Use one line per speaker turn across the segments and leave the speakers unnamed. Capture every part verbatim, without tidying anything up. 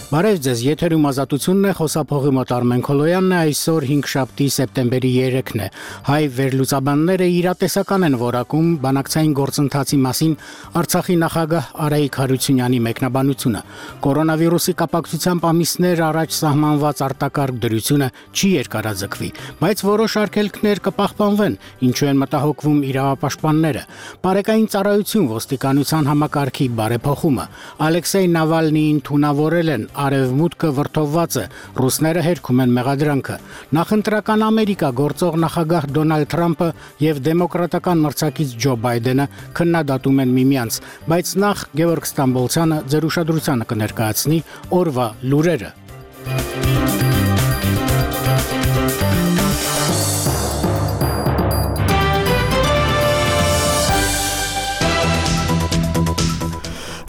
Բարև ձեզ, եթերում ազատությունն է, խոսափողի մոտ Արմեն Քոլոյանն է, այսօր հինգշաբթի սեպտեմբերի երեքն է։ Հայ վերլուծաբանները իրատեսական են որակում բանակցային գործընթացի մասին Արցախի նախագահ Արայիկ Հարությունյանի մեկնաբանությունը։ Կորոնավիրուսի կապակցությամբ ամիսներ առաջ սահմանված արտակարգ դրությունը չի երկարաձգվի, բայց որոշ արգելքներ կպահպանվեն, ինչու են մտահոգվում իրավապաշտպանները։ Բարեկային ծառայություն ոստիկանության համակարգի բարեփոխումը, Ալեքսեյ Նավալնիին թունավորել են, Արևմուտքը վրդովված է, ռուսները հերքում են մեղադրանքը։ Նախընտրական Ամերիկա գործող նախագահ Դոնալդ Թրամփը եւ դեմոկրատական մրցակից Ջո Բայդենը քննադատում են միմյանց, բայց նախ Գևորգ Ստամբոլցյանը ձեր ուշադրությանը կներկայացնի օրվա լուրերը։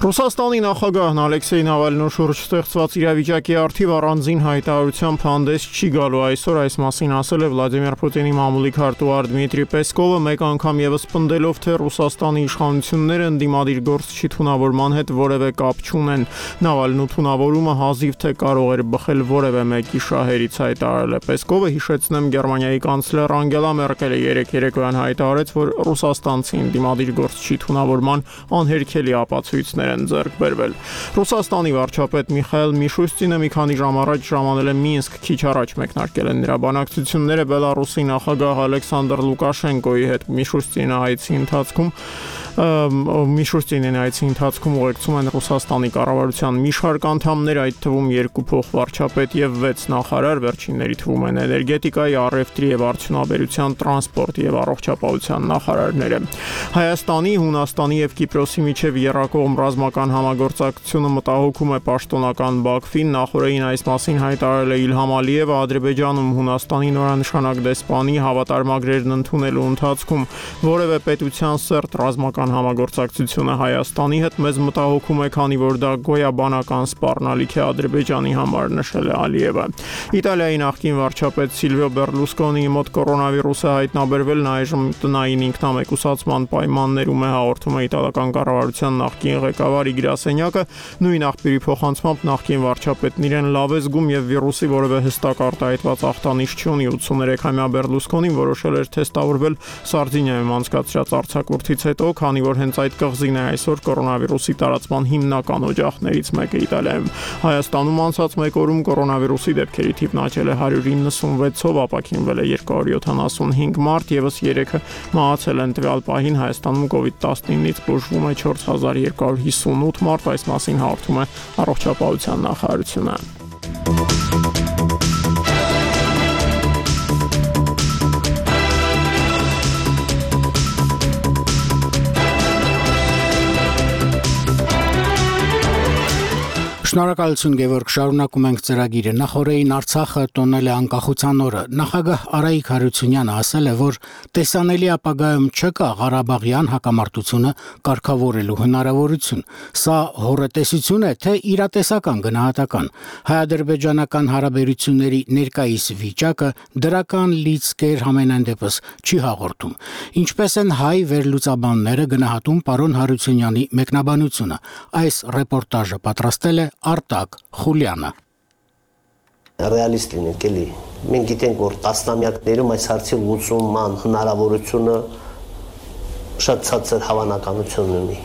Ռուսաստանի նախագահն Ալեքսեյ Նավալնու շուրջ ստեղծված իրավիճակի առթիվ առանձին հայտարարությամբ հանդես չի գալու։ Այսօր այս մասին ասել է Վլադիմիր Պուտինի մամուլի քարտուղար Դմիտրի Պեսկովը, մեկ անգամ եւս պնդելով, թե Ռուսաստանի իշխանությունները ընդդիմադիր գործչի թունավորման հետ որևէ կապ չունեն։ Նավալնու թունավորումը հազիվ թե կարող էր բխել որևէ մեկի շահերից, հայտարարել է Պեսկովը։ Հիշեցնեմ, Գերմանիայի կանցլեր Անգելա Մերկելը երեկ երեկոյան հայտարարեց, որ ռուսաստանցի ընդդիմադիր գործչի թունավորման անհերքելի ապացույցներ են ձեռք բերվել։ Ռուսաստանի վարչապետ Միխայել Միշուստինը մի քանի ժամ առաջ ժամանել է Մինսկ, քիչ առաջ մեկնարկել են նրա բանակցությունները Բելարուսի նախագահ Ալեքսանդր Լուկաշենկոյի հետ։ Միշուստինը այցի ընթացքում Միշուստինին այցի ընթացքում ուղեկցում են Ռուսաստանի կառավարության մի շարք անդամներ, այդ թվում երկու փոխվարչապետ եւ վեց նախարար, վերջինների թվում են էներգետիկայի, առևտրի եւ արդյունաբերության, տրանսպորտ եւ առողջապահության նախարարները։ Հայաստանի, Հունաստանի եւ Կիպրոսի միջև եռակողմ ռազմական համագործակցությունը մտահոգում է պաշտոնական Բաքվին։ Նախորդին այս մասին հայտարարել է Իլհամ Ալիևը Ադրբեջանում Հունաստանի նորանշանակ դեսպանի հավատարմագրերն ընդունելու ընթացքում որևէ պետության սերտ ռազմական համագործակցությունը Հայաստանի հետ մեզ մտահոգում է, քանի որ դա գոյաբանական սպառնալիք է Ադրբեջանի համար, նշել է Ալիևը։ Իտալիայի նախկին վարչապետ Սիլվիո Բերլուսկոնիի մոտ կորոնավիրուսը հայտնաբերվել, նա այժմ տնային ինքնամեկուսացման պայմաններում է, հաղորդում է իտալական կառավարության նախկին ղեկավարի գրասենյակը։ Նույն աղբյուրի փոխանցմամբ նախկին վարչապետն իրեն լավ է զգում եւ վիրուսի որևէ հստակ արտահայտված ախտանիշ չունի։ ութսուներեքամյա Բերլուսկոնին որոշել էր թեստավորվել Սարդինիայում անցկացրած արձակուրդից հետո, քանի որ հենց այդ կղզին է այսօր կորոնավիրուսի տարածման հիմնական օջախներից մեկը Իտալիայում։ Հայաստանում անցած մեկ օրում կորոնավիրուսի դեպքերի թիվն աճել է հարյուր իննսունվեցով, ապաքինվել է երկու հարյուր յոթանասունհինգ մարդ, եւս երեքը մահացել են։ Տվյալ պահին Հայաստանում կովիդ տասնինից բուժվում է չորս հազար երկու հարյուր հիսունութ մարդ, այս մասին հաղորդում է առողջապահության նախարարությունը։
Շնորհակալություն Գևորգ, շարունակում ենք ծրագիրը։ Նախորդին Արցախը տոնել է անկախության օրը։ Նախագահ Արայիկ Հարությունյանը ասել է, որ տեսանելի ապագայում չկա Ղարաբաղյան հակամարտությունը կարգավորելու հնարավորություն։ Սա հոռետեսություն է, թե իրատեսական գնահատական։ Հայ-ադրբեջանական հարաբերությունների ներկայիս վիճակը դրական լիցքեր համենայն դեպս չի հաղորդում։ Ինչպես են հայ վերլուծաբանները գնահատում պարոն Հարությունյանի մեկնաբանությունը։ Այս ռեպորտաժը պատրաստել է Արտակ Խուլյանը։
Ռեալիստ լինենք էլի։ Մենք գիտենք, որ տասնամյակներում այս հարցի լուծման հնարավորությունը շատ ցածր հավանականություն ունի։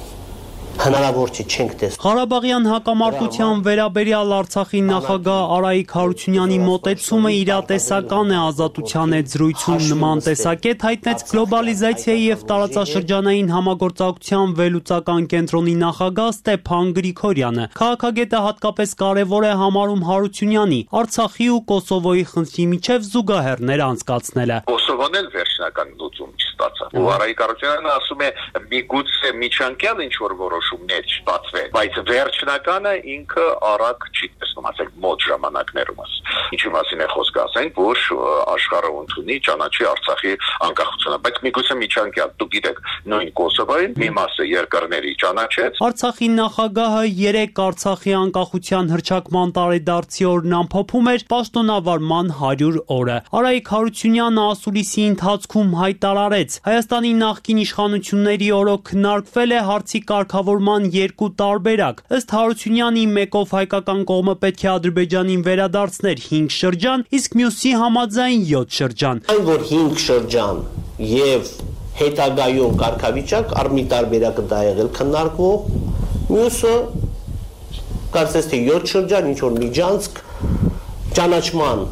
Հնարավոր չի, չենք տեսնում։
Ղարաբաղյան հակամարտության վերաբերյալ Արցախի նախագահ Արայիկ Հարությունյանի մոտեցումը իրատեսական է, ազատության հետ զրույցում նման տեսակետ հայտնեց գլոբալիզացիայի եւ տարածաշրջանային համագործակցության վերլուծական կենտրոնի նախագահ Ստեփան Գրիգորյանը։ Քաղաքագետը հատկապես կարևոր է համարում Հարությունյանի Արցախի ու Կոսովոյի խնդրի միջև զուգահեռներ անցկացնելը։
Կոսովոն էլ վերջնական լուծում չստացավ։ Ու Արայիկ Հարությունյանը ասում է՝ միգուցե միջանկյալ ինչ որ որոշումներ չստացվեն, բայց վերջնականը ինքը արագ չի տեսնում, ասենք մոտ ժամանակներում։ Ինչի մասին է խոսքը, ասենք, որ աշխարհը ընդունի ճանաչի Արցախի անկախությունը, բայց միգուցե միջանկյալ, դուք գիտեք, նույն Կոսովոյին մի մասը երկրների ճանաչեց։
Արցախի նախագահը երեք Արցախի անկախության հռչակման տարեդարձի օրն ամփոփում էր պաշտոնավարման հարյուր օրը։ Արայիկ Հարությունյանը ասուլիսի ընթացքում հայտարարեց. Հայաստանի նախկին իշխանությունների օրոք քննարկվել է հարցի կարգավորման երկու տարբերակ։ Ըստ Հարությունյանի, մեկով հայկական կողմը պետք պետք է Ադրբեջանին վերադարձներ հինգ շրջան, իսկ մյուսի համաձայն յոթ շրջան։
Այն որ հինգ շրջան եւ հետագայում կարգավիճակ առ մի տարբերակը դա եղել քննարկվող, մյուսը կարծես թե յոթ շրջան, ինչ որ Միջանցք ճանաչման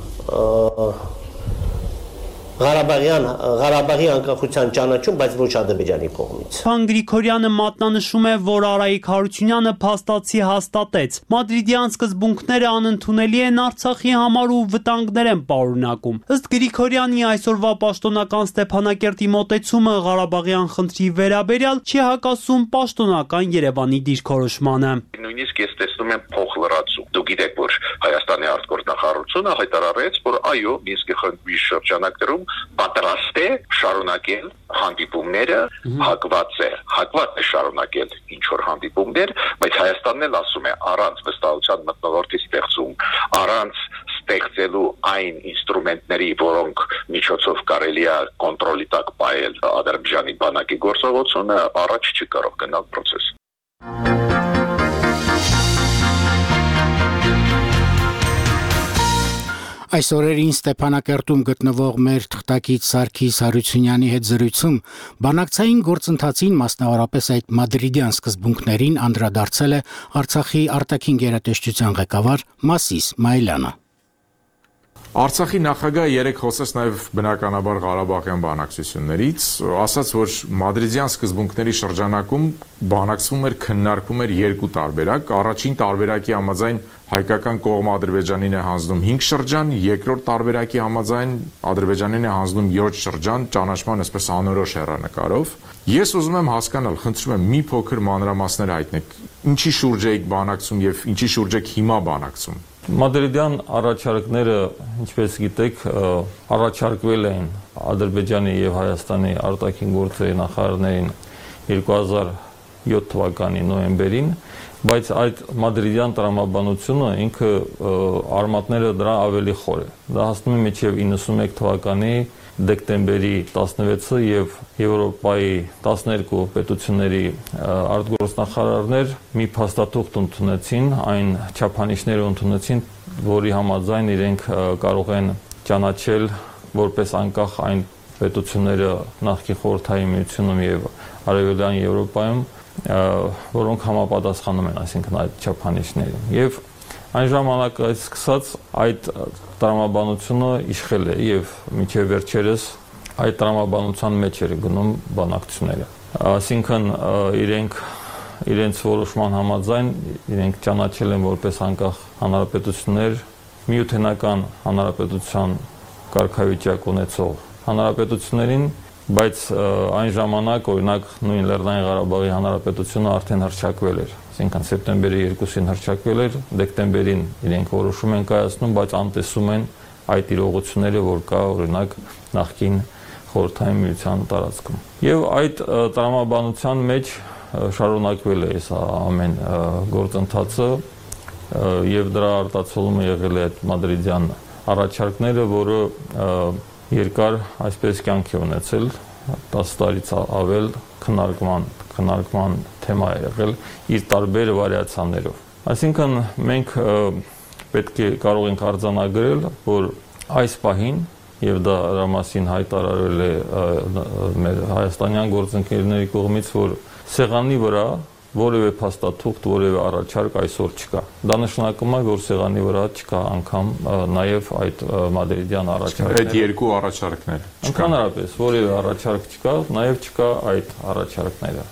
Ղարաբաղյան Ղարաբաղի անկախության ճանաչում, բայց ոչ Ադրբեջանի կողմից։
Պարոն Գրիգորյանը մատնանշում է, որ Արայիկ Հարությունյանը փաստացի հաստատեց. Մադրիդյան սկզբունքները անընդունելի են Արցախի համար ու վտանգներ են պարունակում։ Ըստ Գրիգորյանի այսօրվա պաշտոնական Ստեփանակերտի մոտեցումը Ղարաբաղյան խնդրի վերաբերյալ չի հակասում պաշտոնական Երևանի դիրքորոշմանը։
Նույնիսկ ես տեսնում եմ փոխլրացում։ Դուք գիտեք, որ Հայաստանի արտգործնախարարությունը հայտարարեց, որ այո, Մինսկի խմբի շրջանակներում պատրաստ է շարունակել հանդիպումները, հակված է, հակված է շարունակել ինչ որ հանդիպումներ, բայց Հայաստանն էլ ասում է առանց վստահության մթնոլորտի ստեղծում, առանց ստեղծելու այն ինստրումենտների, որոնք միջոցով կարելի է կոնտրոլի տակ պահել Ադրբեջանի բանակի գործողությունը, առաջ չի կարող գնալ process։
Այս օրերին Ստեփանակերտում գտնվող մեր թղթակից Սարգիս Հարությունյանի հետ զրույցում բանակցային գործընթացին, մասնավորապես այդ մադրիդյան սկզբունքներին անդրադարձել է Արցախի արտաքին գերատեսչության ղեկավար Մասիս Մայլյանը։
Արցախի նախագահը երեք խոսեց նաև բնականաբար Ղարաբաղյան բանակցություններից, ասաց, որ մադրիդյան սկզբունքների շրջանակում բանակցվում էր, քննարկվում էր երկու տարբերակ, առաջին տարբերակի համաձայն հայկական կողմը Ադրբեջանին է հանձնում հինգ շրջան, երկրորդ տարբերակի համաձայն Ադրբեջանին է հանձնում յոթ շրջան, ճանաչման այսպես անորոշ հեռանկարով։ Ես ուզում եմ հասկանալ, խնդրում եմ մի փոքր մանրամասներ հայտնեք, ինչի շուրջ եք բանակցում եւ ինչի շուրջ եք հիմա բանակցում։
Մադրիդյան առաջարկները, ինչպես գիտեք, առաջարկվել էին Ադրբեջանի եւ Հայաստանի արտաքին գործերի նախարարներին երկու հազար յոթ թվականի նոյեմբերին, բայց այդ մադրիդյան տրամաբանությունը ինքը արմատները դրա ավելի խոր է։ Դա հասնում է մինչև իննսունմեկ թվականի դեկտեմբերի տասնվեցը եւ Եվրոպայի տասներկու պետությունների արտգործնախարարներ մի փաստաթուղթ ընդունեցին, այն չափանիշները ընդունեցին, որի համաձայն իրենք կարող են ճանաչել որպես անկախ այն պետությունները նախկին խորհրդային միությունում եւ արևելյան Եվրոպայում, որոնք համապատասխանում են, այսինքն այդ չափանիշներին։ Եվ այն ժամանակից սկսած այդ տրամաբանությունը իշխել է եւ մինչեւ վերջերս այդ տրամաբանության մեջ էր գնում բանակցությունները։ Այսինքն իրենք իրենց որոշման համաձայն իրենք ճանաչել են որպես անկախ հանրապետություններ միութենական հանրապետության կարգավիճակ ունեցող հանրապետություններին, բայց այն ժամանակ օրինակ նույն Լեռնային Ղարաբաղի հանրապետությունը արդեն հռչակվել էր, այսինքն սեպտեմբերի երկուսին հռչակվել էր, դեկտեմբերին իրենք որոշում են կայացնում, բայց անտեսում են այդ իրողությունները, որ կա օրինակ նախկին խորհրդային միության տարածքում։ Եվ այդ տրամաբանության մեջ շարունակվել է այս ամեն գործընթացը եւ դրա արտացոլումը եղել է այդ մադրիդյան առաջարկները, որը երկար այսպես կյանքի ունեցել, տասը տարից ավել քննարկման քննարկման թեմա է եղել իր տարբեր վարիացիաներով։ Այսինքն մենք պետք է կարող ենք արձանագրել, որ այս պահին եւ դա դրա մասին հայտարարվել է մեր հայաստանյան գործընկերների կողմից, որ սեղանի վրա որևէ փաստաթուղթ, որևէ առաջարկ այսօր չկա։ Դա նշանակում է, որ սեղանի վրա չկա անգամ նաև այդ մադրիդյան առաջարկները։
Այդ երկու առաջարկներ չկան։
Ընդհանրապես որևէ առաջարկ չկա, նաև չկա այդ առաջարկները։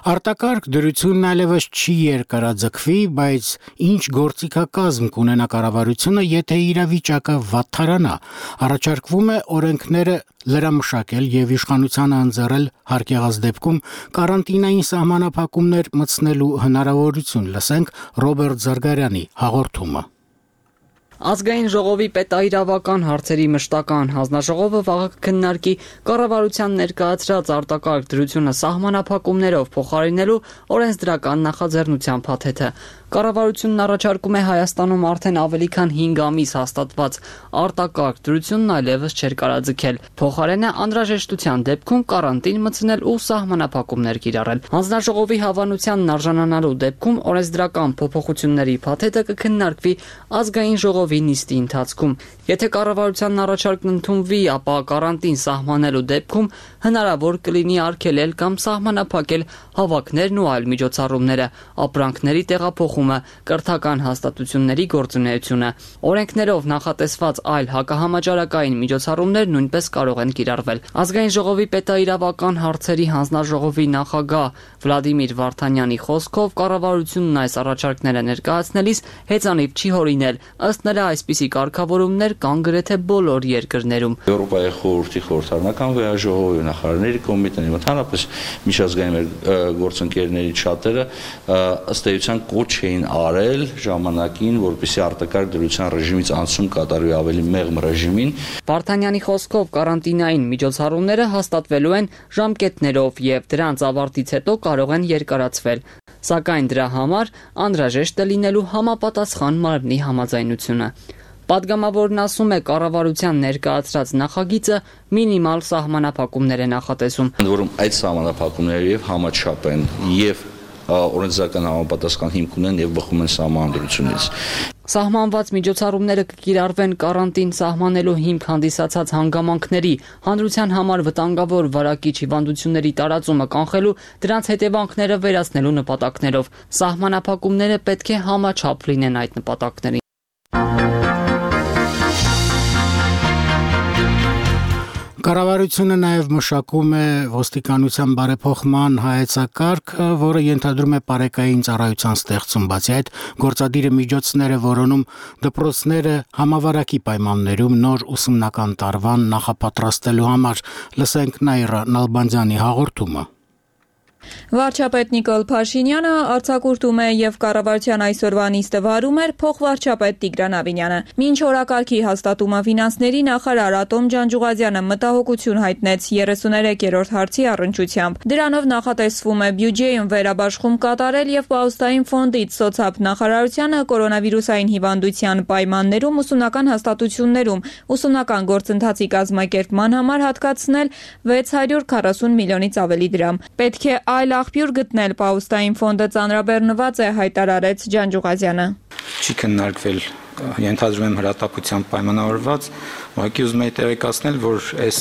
Արտակարգ դրությունն այլևս չի երկարաձգվի, բայց ինչ գործիքակազմ կունենա կառավարությունը, եթե իրավիճակը վատթարանա, առաջարկվում է օրենքները լրամշակել եւ իշխանությանը ընձեռել հարկ եղած դեպքում կարանտինային սահմանափակումներ մտցնելու հնարավորություն։ Լսենք Ռոբերտ Զարգարյանի հաղորդումը։
Ազգային ժողովի պետաիրավական հարցերի մշտական հանձնաժողովը վաղը կքննարկի կառավարության ներկայացրած արտակարգ դրությունը սահմանափակումներով փոխարինելու օրենսդրական նախաձեռնության փաթեթը։ Կառավարությունն առաջարկում է Հայաստանում արդեն ավելի քան հինգ ամիս հաստատված արտակարգ դրությունն այլևս չէր կարաձգել։ Փոխարենը անհրաժեշտության դեպքում կարանտին մտցնել ու սահմանափակումներ կիրառել։ Հանձնաժողովի հավանությանն արժանանալու դեպքում օրենսդրական փոփոխությունների փաթեթը կքննարկվի ազգային ժողովի նիստի ընթացքում։ Եթե կառավարությանն առաջարկն ընդունվի, ապա կարանտին սահմանելու դեպքում հնարավոր կլինի արգելել կամ սահմանափակել հավաքներն ու այլ միջոցառումները, ապրանքների տեղափոխումը, կրթական հաստատությունների գործունեությունը։ Օրենքներով նախատեսված այլ հակահամաճարակային միջոցառումներ նույնպես կարող են կիրառվել։ Ազգային ժողովի պետաիրավական հարցերի հանձնաժողովի նախագահ Վլադիմիր Վարդանյանի խոսքով կառավարությունն այս առաջարկները ներկայացնելիս հեծանիվ չի հորինել։ Ըստ նրա, այսպիսի կարգավորումներ կան գրեթե բոլոր երկրներում։
Եվրոպայի խորհրդի խորհրդարանական վեաժողովի նախարարների կոմիտեի ընդհանրապես միջազգային գործընկերների շատերը ըստ էության կոչ էին արել ժամանակին, որպեսզի արտակարգ դրության ռեժիմից անցում կատարվի ավելի մեղմ ռեժիմին։
Վարդանյանի խոսքով կարանտինային միջոցառումները հաստատվելու են ժամկետներով եւ դրանց ավարտից հետո կարող են երկարացվել, սակայն դրա համար անհրաժեշտ է լինելու համապատասխան մարմնի համաձայնությունը։ Պատգամավորն ասում է, կառավարության ներկայացրած նախագիծը մինիմալ սահմանափակումներ է նախատեսում։
Ընդ որում այդ սահմանափակումները եւ համաչափ են եւ օրենսդրական համապատասխան հիմք ունեն եւ բխում են սահմանադրությունից։
Սահմանված միջոցառումները կկիրառվեն կարանտին սահմանելու հիմք հանդիսացած հանգամանքների, հանրության համար վտանգավոր վարակիչ հիվանդությունների տարածումը կանխելու, դրանց հետևանքները վերացնելու նպատակներով։ Սահմանափակումները պետք է համաչափ լինեն այդ նպատակներին։
Կառավարությունը նաև մշակում է ոստիկանության բարեփոխման հայեցակարգը, որը ենթադրում է պարեկային ծառայության ստեղծում, բացի այդ գործադիրը միջոցներ է որոնում դպրոցները համավարակի պայմաններում նոր ուսումնական տարվան նախապատրաստելու համար։ Լսենք Նաիրա Նալբանդյանի հաղորդումը։
Վարչապետ Նիկոլ Փաշինյանը արձակուրդում է եւ կառավարության այսօրվա նիստը վարում էր փոխվարչապետ Տիգրան Ավինյանը։ Մինչ օրակարգի հաստատումը ֆինանսների նախարար Ատոմ Ջանջուղազյանը մտահոգություն հայտնեց երեսուներեքերորդ հարցի առնչությամբ։ Դրանով նախատեսվում է բյուջեում վերաբաշխում կատարել եւ Պաուստային ֆոնդից սոցիալ նախարարությանը կորոնավիրուսային հիվանդության պայմաններում ուսումնական հաստատություններում ուսումնական գործընթացի կազմակերպման համար հատկացնել վեց հարյուր քառասուն միլիոնից ավելի դրամ։ Պետք է այլ աղբյուր գտնել, Պաուստային ֆոնդը ծանրաբեռնված է, հայտարարեց Ջանջուղազյանը։
Չի քննարկվել, ենթադրում եմ հրատապությամբ պայմանավորված, ուղղակի ուզում եմ տեղեկացնել, որ այս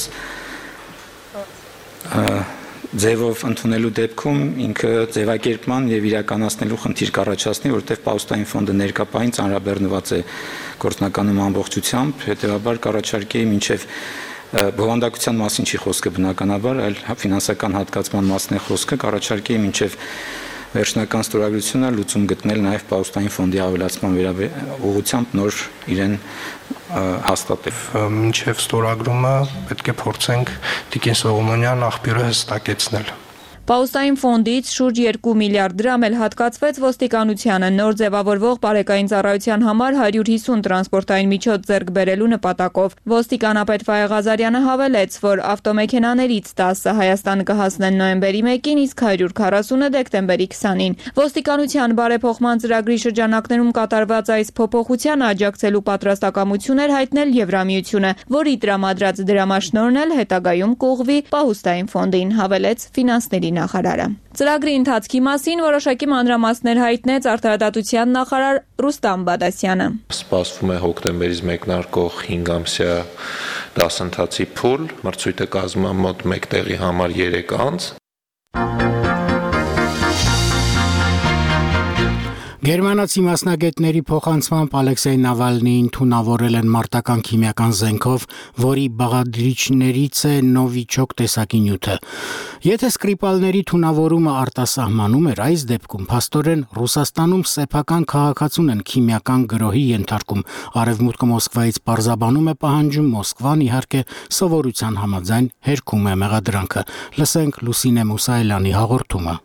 ձևով ընդունելու դեպքում ինքը ձևակերպման եւ իրականացնելու խնդիր կառաջացնի, որովհետեւ Պաուստային ֆոնդը ներկապային ծանրաբեռնված է գործնականում ամբողջությամբ, հետեւաբար կառաջարկեի մինչեւ բովանդակության մասին չի խոսքը բնականաբար, այլ ֆինանսական հատկացման մասն է խոսքը, կառաջարկեի մինչև վերջնական ստորագրությունը լուծում գտնել նաև Պաուստային ֆոնդի ավելացման ուղղությամբ նոր իրեն հաստատել։
Մինչև ստորագրումը պետք է փորձենք Տիկին Սողոմոնյան աղբյուրը հստակեցնել։
Պաուստային ֆոնդից շուրջ երկու միլիարդ դրամ էլ հատկացվեց ոստիկանությանը նոր ձևավորվող պարեկային ծառայության համար հարյուր հիսուն տրանսպորտային միջոց ձեռք բերելու նպատակով։ Ոստիկանապետ Ֆայեղ Ղազարյանը հավելեց, որ ավտոմեքենաներից տասը Հայաստան կհասնեն նոյեմբերի մեկին, իսկ հարյուր քառասունը դեկտեմբերի քսանին։ Ոստիկանության բարեփոխման ծրագրի շրջանակներում կատարված այս փոփոխությանը աջակցելու պատրաստակամություն էր հայտնել Եվրամիությունը, որի տրամադրած դրամաշնորհն էլ հետագայում կուղղվի Պաուստային ֆոնդին, հավելեց ֆինանսների նախարարը։ Ծրագրի ընթացքի մասին որոշակի մանրամասներ հայտնեց արտարադատության նախարար Ռուստամ Բադասյանը։
Սպասվում է հոկտեմբերից մեկնարկող հինգ ամսյա դասընթացի փուլ, մրցույթը կազմում է մոտ մեկ տեղի համար երեք անց։
Գերմանացի մասնագետների փոխանցմամբ Ալեքսեյ Նավալնիին թունավորել են մարտական քիմիական զենքով, որի բաղադրիչներից է նովիչոկ տեսակի նյութը։ Եթե սկրիպալների թունավորումը արտասահմանում էր, այս դեպքում փաստորեն Ռուսաստանում սեփական քաղաքացուն են քիմիական գրոհի ենթարկում։ Արևմուտքը Մոսկվայից պարզաբանում է պահանջում, Մոսկվան իհարկե սովորության համաձայն հերքում է մեղադրանքը։ Լսենք Լուսինե Մուսայելյանի հաղորդումը։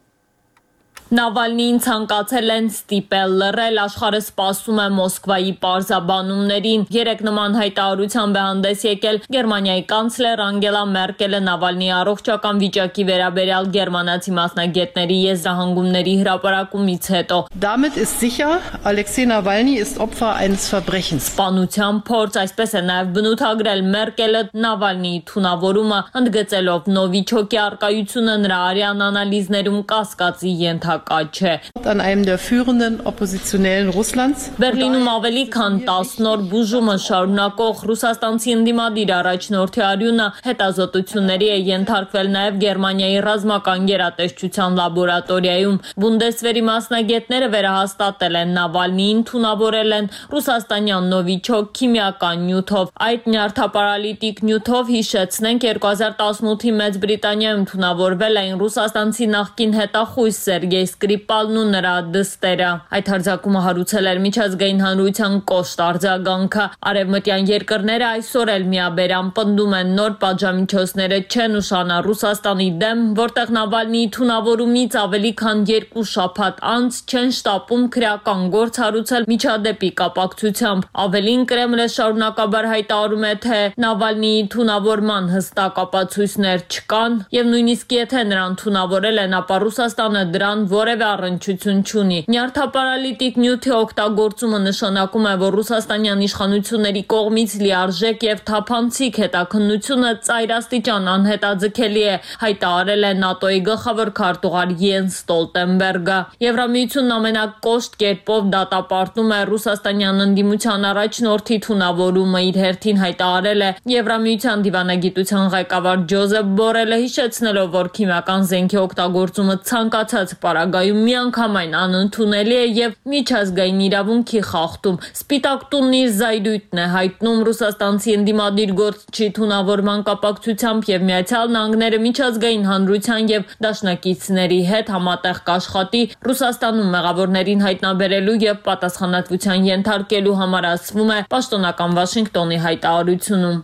Նավալնիին ցանկացել են ստիպել լռել, աշխարհը սպասում է Մոսկվայի պարզաբանումներին։ Երեք նման հայտարարությամբ է հանդես եկել Գերմանիայի կանցլեր Անգելա Մերկելը Նավալնիի առողջական վիճակի վերաբերյալ գերմանացի մասնագետների եզրահանգումների հրապարակումից հետո։
Damit ist sicher, Alexei Nawalny ist Opfer eines Verbrechens.
Սպանության փորձ, այսպես է նաև բնութագրել Մերկելը Նավալնիի թունավորումը, ընդգծելով Նովիչոկի առկայությունը նրա արյան անալիզներում կասկածի ենթակա չէ։
An einem der führenden oppositionellen Russlands
Բերլինում ավելի քան տասն օր բուժումը շարունակող ռուսաստանցի ընդդիմադիր առաջնորդի արյունը հետազոտությունների է ենթարկվել նաև Գերմանիայի ռազմական գերատեսչության լաբորատորիայում։ Բունդեսվերի մասնագետները վերահաստատել են Նավալնիին թունավորել են ռուսաստանյան Նովիչոկ քիմիական նյութով։ Այդ նյարդապարալիտիկ նյութով հիշեցնենք երկու հազար տասնութի Մեծ Բրիտանիայում թունավորվել էին ռուսաստանցի նախկին հետախույս Սերգեյ Սկրիպալն ու նրա դստերը։ Այդ հարձակումը հարուցել էր միջազգային հանրության կոշտ արձագանքը։ Արևմտյան երկրները այսօր էլ միաբերան պնդում են նոր պատժամիջոցները չեն ուշանա Ռուսաստանի դեմ, որտեղ Նավալնիի թունավորումից ավելի քան երկու շաբաթ անց չեն շտապում քրեական գործ հարուցել միջադեպի կապակցությամբ։ Ավելին Կրեմլը շարունակաբար հայտարարում է, թե Նավալնիի թունավորման հստակ ապացույցներ չկան, եւ նույնիսկ եթե նրան թունավորել են, ապա Ռուսաստանը դրան որևէ առնչություն չունի։ Նյարդապարալիտիկ նյութի օգտագործումը նշանակում է, որ ռուսաստանյան իշխանությունների կողմից լիարժեք եւ թափանցիկ հետաքննությունը ծայրաստիճան անհետաձգելի է, հայտարարել է ՆԱՏՕ-ի գլխավոր քարտուղար Յենս Ստոլտենբերգը։ Եվրամիությունն ամենակոշտ կերպով դատապարտում է ռուսաստանյան ընդդիմության առաջնորդի թունավորումը, իր հերթին հայտարարել է Եվրամիության դիվանագիտության ղեկավար Ջոզեփ Բորելը, հիշեցնելով, որ քիմիական զենքի օգտագործումը ցանկացած պարագայում միանգամայն անընդունելի է եւ միջազգային իրավունքի խախտում։ Սպիտակ տունն իր զայրույթն է հայտնում ռուսաստանցի ընդդիմադիր գործչի թունավորման կապակցությամբ եւ Միացյալ Նահանգները միջազգային հանրության եւ դաշնակիցների հետ համատեղ կաշխատի Ռուսաստանում մեղավորներին հայտնաբերելու եւ պատասխանատվության ենթարկելու համար, ասվում է պաշտոնական Վաշինգտոնի հայտարարությունում։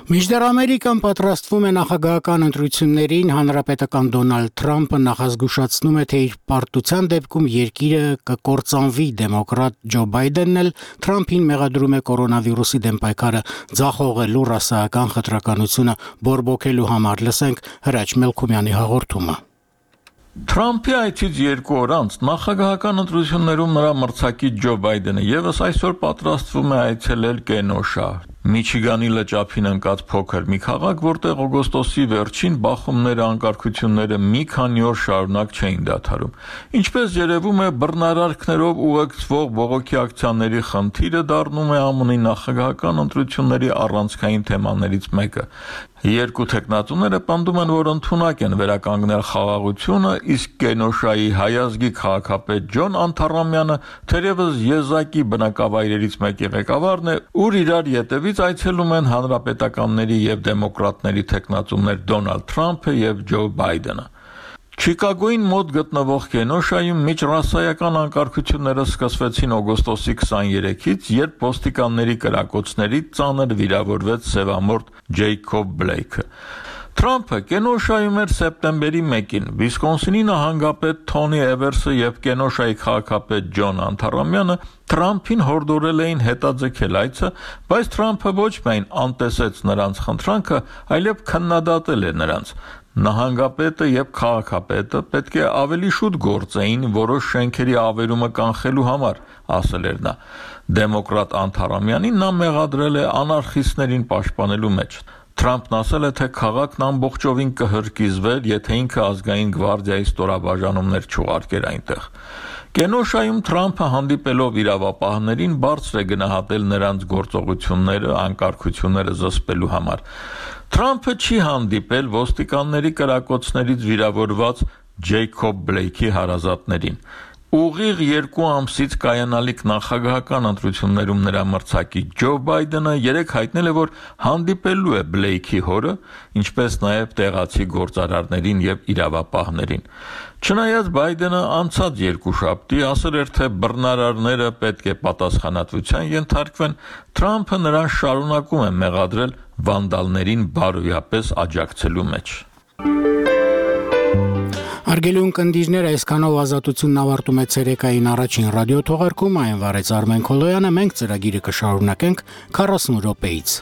Մինչդեռ Ամերիկան պատրաստվում է նախագահական ընտրություններին, հանրապետական Դոնալդ Թրամփը նախազգուշացնում է, թե իր պարտության դեպքում երկիրը կկործանվի։ Դեմոկրատ Ջո Բայդենն էլ Թրամփին մեղադրում է կորոնավիրուսի դեմ պայքարը ձախողելու ռասայական խտրականությունը բորբոքելու համար։ Լսենք Հրաչ Մելքումյանի հաղորդումը։
Թրամփի այցից երկու օր անց նախագահական ընտրություններում նրա մրցակից Ջո Բայդենը եւս այսօր պատրաստվում է այցելել Կենոշա, Միչիգանի լճափին ընկած փոքր մի քաղաք, որտեղ օգոստոսի վերջին բախումները, անկարգությունները մի քանի օր շարունակ չէին դադարում։ Ինչպես երևում է, բռնարարքներով ուղեկցվող բողոքի ակցիաների խնդիրը դառնում է ԱՄՆ-ի նախագահական ընտրությունների առանցքային թեմաներից մեկը։ Երկու թեկնածուները պնդում են, որ ընդունակ են վերականգնել խաղաղությունը, իսկ Կենոշայի հայազգի քաղաքապետ Ջոն Անթարամյանը թերևս եզակի բնակավայրերից մեկի ղեկավարն է, ուր իրար ետևից այցելում են հանրապետականների եւ դեմոկրատների թեկնածուներ Դոնալդ Թրամփը եւ Ջո Բայդենը։ Չիկագոյին մոտ գտնվող Կենոշայում միջրասայական անկարգությունները սկսվեցին օգոստոսի քսաներեքից, երբ ոստիկանների կրակոցներից ծանր վիրավորվեց սևամորթ Ջեյքոբ Բլեյքը։ Թրամփը Կենոշայում էր սեպտեմբերի մեկին, Վիսկոնսինի նահանգապետ Թոնի Էվերսը եւ Կենոշայի քաղաքապետ Ջոն Անթարամյանը Թրամփին հորդորել էին հետաձգել այցը, բայց Թրամփը ոչ միայն անտեսեց նրանց խնդրանքը, այլև քննադատել է նրանց։ Նահանգապետը եւ քաղաքապետը պետք է ավելի շուտ գործեին որոշ շենքերի ավերումը կանխելու համար, ասել էր նա։ Դեմոկրատ Անթարամյանին նա մեղադրել է անարխիստներին պաշտպանելու մեջ։ Թրամփն ասել է, թե քաղաքն ամբողջովին կհրկիզվեր, եթե ինքը ազգային գվարդիայի ստորաբաժանումներ չուղարկեր այնտեղ։ Կենոշայում Թրամփը հանդիպելով իրավապահներին բարձր է գնահատել նրանց գործողությունները, անկարգությունները զսպելու համար։ Թրամփը չի հանդիպել ոստիկանների կրակոցներից վիրավորված Ջեյքոբ Բլեյքի հարազատներին։ Ուղիղ երկու ամսից կայանալիք նախագահական ընտրություններում նրա մրցակից Ջո Բայդենը երեկ հայտնել է, որ հանդիպելու է Բլեյքի հորը, ինչպես նաև տեղացի գործարարներին եւ իրավապահներին։ Չնայած Բայդենը անցած երկուշաբթի ասել էր, թե բռնարարները պետք է պատասխանատվության ենթարկվեն, Թրամփը նրան շարունակում է մեղադրել վանդալներին բարոյապես աջակցելու մեջ։
Արգելի ունկնդիրներ, այսքանով ազատությունն ավարտում է ցերեկային առաջին ռադիոթողարկումը, այն վարեց Արմեն Քոլոյանը, մենք ծրագիրը կշարունակենք քառասուն րոպեից։